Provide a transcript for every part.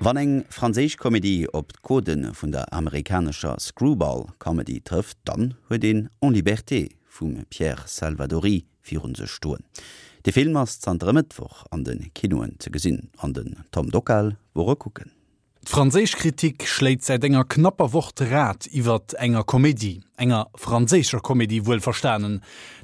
Wann eng franséisch Komedie op d'Codë vun der amerikanescher Screwball Comedy trëfft, dann huet een En liberté vum Pierre Salvadori virun sech stoen. De Film ass zanter e Mëttwoch an de Kinoen ze gesinn an den Tom Dockal wor e kucken. D'franséisch Kritik schléit säit enger knapper Woch d'Rad iwwert enger Komedie, enger franséischer Komedie wuelverstanen.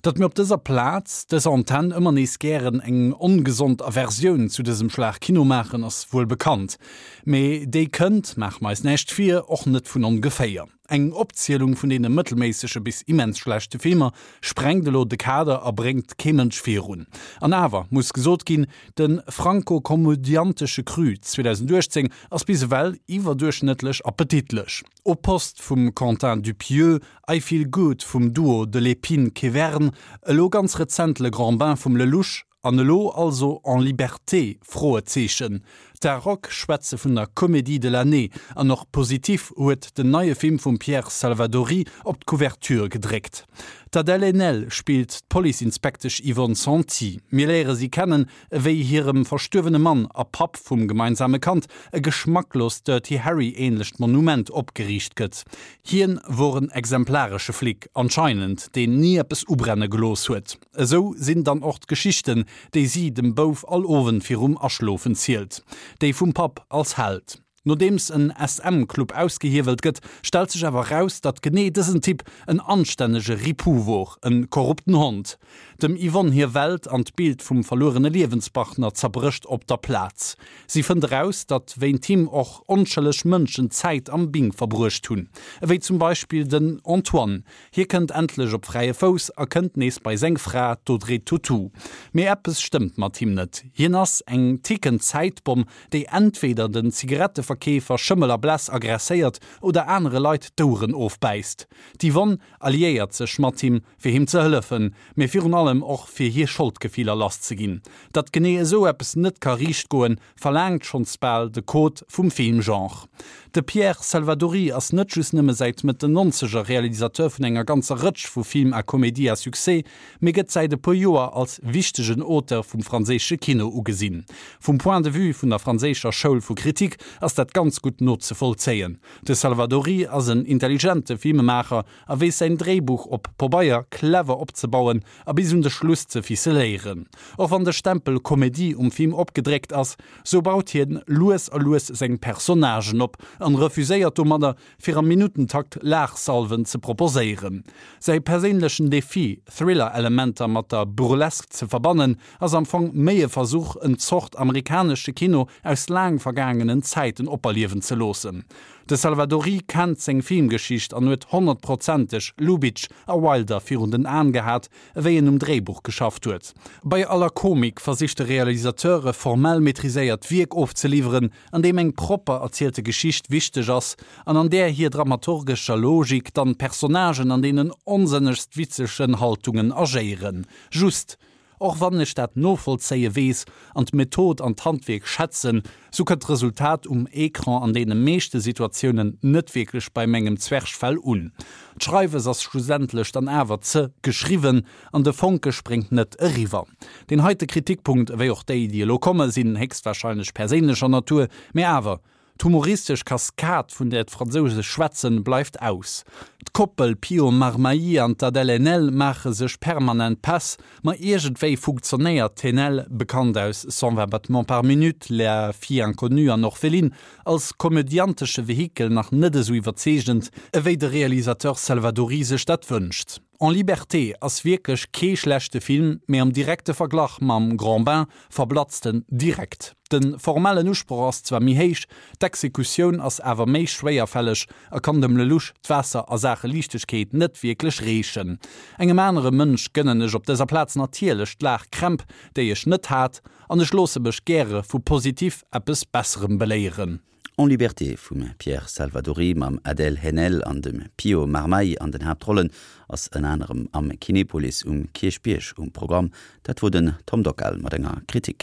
Datt mir op dëser Plaz, dëser Antenn ëmmer nees gären eng ongesond Aversioun zu dësem Schlag Kino maachen, ass wuel bekannt. Mee déi kënnt, maache mer eis näischt vir, och net vun ongeféier. Eng Opzielung vun deene mëttelméissege bis immens schlechte Filmer sprengt elo de Kader a bréngt kee Mënsch virun. An awer muss gesot ginn, de franco-komödiantesche Cru 2018 ass bis ewell iwwerduerchschnëttlech appetitlech. Au poste vum Quentin Dupieux, I Feel Good vum Duo Delépine-Quevern, elo ganz rezent Le Grand Bain vum Lelouch, An elo also En liberté? Froezeechen. D'Aroc schwätze vun der Comédie de l'année an och Positif huet den neie Film vum Pierre Salvadori op d'Couverture gedréckt. D'Adèle Haenel spillt d'Police-Inspektesch Yvonne Santi. Mir léiere si kennen, ewéi hirem verstuerwene Mann a Papp vum gemeinsame Kand e geschmacklost Dirty Harry-ähnlecht Monument opgeriicht gëtt. Hien wor en exemplaresche Flic, anscheinend, deen ni eppes ubrenne gelooss huet. Esou sinn dann och d'Geschichten, déi si dem Bouf all Owend virum Aschlofen zielt, déi vum Papp als Held. Nodeems en SM-Club ausgehiewelt gëtt, stellt sech awer raus, datt genee dësen Typ en anstännege Ripou wor, en korrupten Hond. Dem Yvonne hir Welt an d'Bild vum verluerene Liewenspartner zerbrécht op der Plaz. Si fënnt eraus, datt wéint him och onschëlleg Mënschen Zäit am Bing verbruecht hunn, ewéi zum Beispill den Antoine, Hie kënnt endlech op fräie Fouss a kënnt nees bei seng Fra, d'Audrey Tautou. Mee eppes stëmmt mat him net. Hien ass eng tickend Zäitbomm, déi entweder den Zigaretteverkeefer Schëmmel a Bless aggresséiert oder anere Leit d'Oueren ofbäisst. D'Yvonne alliéiert sech mat him, fir him ze hëllefen, mee virun allem och fir hir Scholdgefiller lasszeginn. Datt genee esou eppes net ka riicht goen, verlaangt schonns bal de Code vum Filmgenre. De Pierre Salvadori ass net just nëmme säit Mëtt den Nonzeger Realisateur vun enger ganzer Rëtsch vu Films à comédie à succès, mee gëtt säit e puer Joer als wichtegen Auteur vum franséische Kino ugesinn. Vum Point de vue vun der franséischer Schoul vu Kritik ass dat ganz gutt nozevollzéien. De Salvadori ass en intelligente Filmemaacher a weess säin Dréibuch op Pobeier clever opzebauen a bis un de Schluss ze ficeléieren. Och wann de Stempel Komedie um Film opgedréckt ass, sou baut hien lues a lues seng Personnagen op an refuséiert domadder, fir am Minuttentakt Laachsalven ze proposéieren. Säi perséinlechen Defi, Thriller-Elementer mat der Burlesque ze verbannen, ass am Fong méi e Versuch, en Zort amerikanesche Kino aus laang vergaangenen Zäiten operliewen ze loossen. De Salvadori kennt seng Filmgeschicht an huet honnertprozenteg Lubitsch a Wilder virun den Aen gehat, ewéi en um Dréibuch geschafft huet. Bei aller Komik versicht de Realisateur e formell maîtriséiert Wierk ofzeliwweren, an deem eng propper erzielte Geschicht wichteg ass an an där hir dramaturgescher Logik dann d'Personnagen an deenen onsënnegst witzegen Haltungen agéieren. Just, Och wann ech dat novollzéie weess an d'Method an d'Handwierk schätzen, sou kënnt d'Resultat um Ecran an deene meeschte Situatiounen net wierklech bei mengem Zwerchfell un. D'Schreiwes ass schlussendlech dann awer ze geschriwwen an de Fonke spréngt net eriwwer. Deen heite Kritikpunkt, ewéi och déi, déi elo komme, sinn héchstwahrscheinlech perséinlecher Natur, mee awer, D'humoristesch Kaskad, vun där d'Fransouse schwätzen, bleift aus. D'Koppel Pio Marmaï an d'Adèle Haenel maache sech permanent Päss, ma iergendwéi funktionéiert d'Haenel, bekannt aus 120 battements par minute, La fille inconnue an Orpheline, als komödiantesche Vehikel nach net esou iwwerzeegend, ewéi de Realisateur Salvadori sech dat wënscht. En liberté ass wierklech kee schlechte Film, mee am direkte Verglach mam Grand Bain verblatzt en direkt. De formellen Usproch ass zwar méi héich, d'Exekutioun ass awer méi schwéierfälleg a kann dem Lelouch d'Waasser a Saache Liichtegkeet net wierklech reechen. Engem anere Mënsch gënnen ech op dëser Plaz natierlech d'Laachkrämp, déi ech net hat, an ech loosse mech gäre vu Positif eppes Besserem beléieren. En liberté vum Pierre Salvadori mam Adèle Haenel an dem Pio Marmaï an den Haaptrollen ass ënner anerem am Kinepolis um Kierchbierg um Programm. Dat wor den Tom Dockal mat enger Kritik.